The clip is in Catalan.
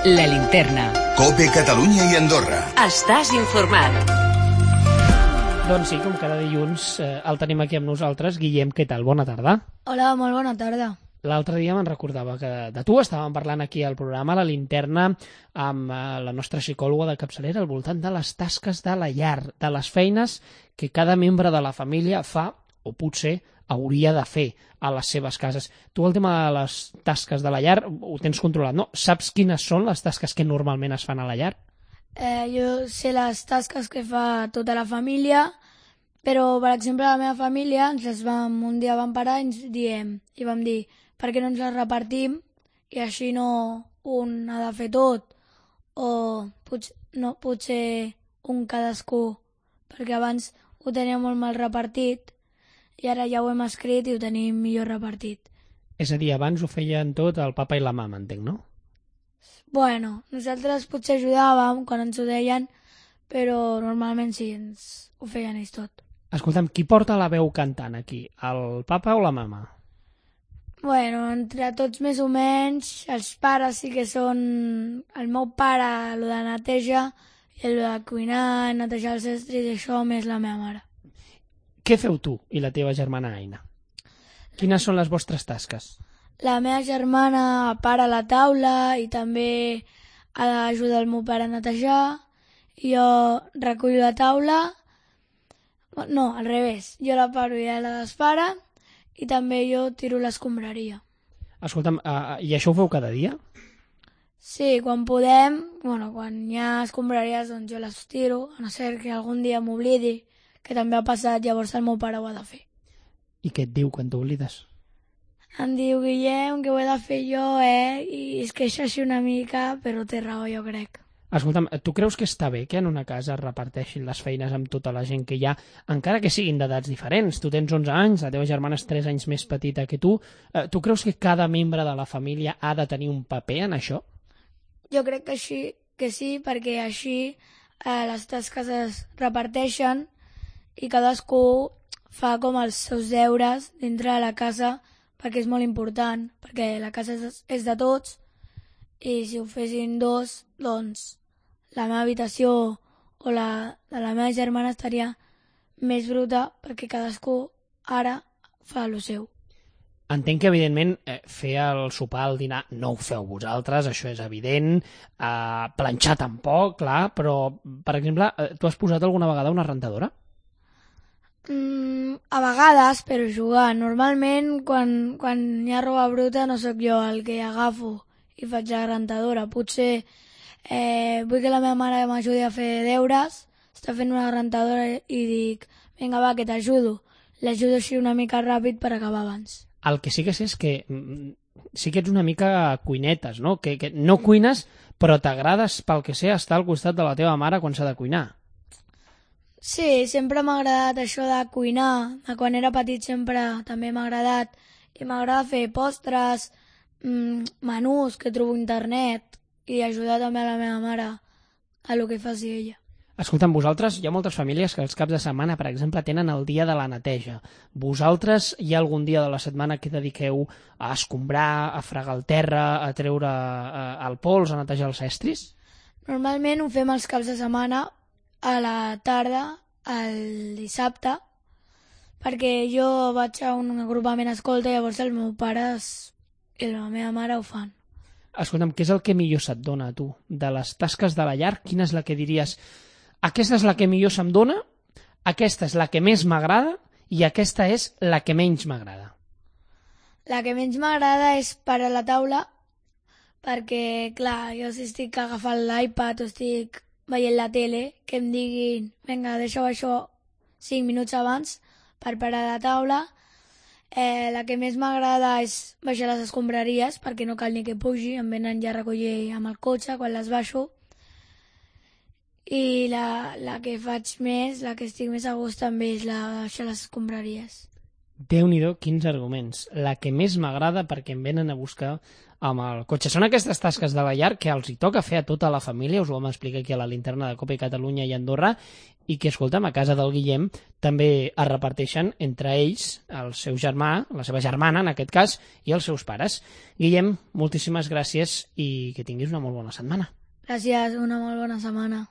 La linterna. COPE Catalunya i Andorra. Estàs informat. Doncs sí, com cada dilluns el tenim aquí amb nosaltres. Guillem, què tal? Bona tarda. Hola, molt bona tarda. L'altre dia me'n recordava que de tu estàvem parlant aquí al programa La Linterna amb la nostra psicòloga de capçalera al voltant de les tasques de la llar, de les feines que cada membre de la família fa o potser hauria de fer a les seves cases. Tu el tema de les tasques de la llar ho tens controlat, no? Saps quines són les tasques que normalment es fan a la llar? Jo sé les tasques que fa tota la família, però, per exemple, la meva família un dia vam parar i vam dir per què no ens les repartim i així no un ha de fer tot o potser un cadascú, perquè abans ho teníem molt mal repartit i ara ja ho hem escrit i ho tenim millor repartit. És a dir, abans ho feien tot el papa i la mama, entenc, no? Bueno, nosaltres potser ajudàvem quan ens ho deien, però normalment sí, ens ho feien ells tot. Escolta'm, qui porta la veu cantant aquí? El papa o la mama? Bueno, entre tots més o menys, els pares sí que són... El meu pare, el de neteja, i el de cuinar, netejar els estris, i això més la meva mare. Què feu tu i la teva germana Aina? Quines són les vostres tasques? La meva germana para la taula i també ha d'ajudar el meu pare a netejar. Jo recullo la taula. No, al revés. Jo la paro i ella la despara. I també jo tiro l'escombraria. Escolta'm, i això ho feu cada dia? Sí, quan podem, quan hi ha escombraries, doncs jo les tiro, a no ser que algun dia m'oblidi, que també ha passat, llavors el meu pare ho ha de fer. I què et diu quan t'oblides? Em diu, Guillem, que ho he de fer jo, i es queixa així una mica, però té raó, jo crec. Escolta'm, tu creus que està bé que en una casa es reparteixin les feines amb tota la gent que hi ha, encara que siguin d'edats diferents? Tu tens 11 anys, la teva germana és 3 anys més petita que tu. Tu creus que cada membre de la família ha de tenir un paper en això? Jo crec que sí, perquè així les tasques es reparteixen i cadascú fa com els seus deures dintre de la casa, perquè és molt important, perquè la casa és de tots i si ho fessin dos, doncs la meva habitació o la de la meva germana estaria més bruta perquè cadascú ara fa el seu. Entenc que, evidentment, fer el sopar, el dinar, no ho feu vosaltres, això és evident, planxar tampoc, clar, però, per exemple, tu has posat alguna vegada una rentadora? A vegades, però jugant. Normalment, quan hi ha roba bruta, no sóc jo el que agafo i faig la rentadora. Potser vull que la meva mare m'ajudi a fer deures, està fent una rentadora i dic, vinga, va, que t'ajudo. L'ajudo així una mica ràpid per acabar abans. El que sí que sé és que sí que ets una mica cuinetes, no? Que no cuines, però t'agrades, pel que sé, estar al costat de la teva mare quan s'ha de cuinar. Sí, sempre m'ha agradat això de cuinar. Quan era petit sempre també m'ha agradat. I m'agrada fer postres, menús que trobo a internet i ajudar també a la meva mare a lo que faci ella. Escolta'm, vosaltres, hi ha moltes famílies que els caps de setmana, per exemple, tenen el dia de la neteja. Vosaltres hi ha algun dia de la setmana que dediqueu a escombrar, a fregar el terra, a treure el pols, a netejar els estris? Normalment ho fem els caps de setmana a la tarda, el dissabte, perquè jo vaig a un agrupament escolta i llavors el meu pare i la meva mare ho fan. Escolta'm, què és el que millor se't dona a tu? De les tasques de la llar, quina és la que diries aquesta és la que millor se'm dona, aquesta és la que més m'agrada i aquesta és la que menys m'agrada? La que menys m'agrada és parar la taula perquè, clar, jo si estic agafant l'iPad o estic veient la tele, que em diguin vinga, deixa-ho això 5 minuts abans per parar la taula. La que més m'agrada és baixar les escombraries perquè no cal ni que pugi, em venen ja a recollir amb el cotxe quan les baixo. I la que faig més, la que estic més a gust també és la de baixar les escombraries. Déu-n'hi-do, quins arguments. La que més m'agrada perquè em venen a buscar amb el cotxe. Són aquestes tasques de la llar que els hi toca fer a tota la família, us ho vam explicar aquí a la linterna de Cope Catalunya i Andorra, i que, escolta'm, a casa del Guillem també es reparteixen entre ells, el seu germà, la seva germana, en aquest cas, i els seus pares. Guillem, moltíssimes gràcies i que tinguis una molt bona setmana. Gràcies, una molt bona setmana.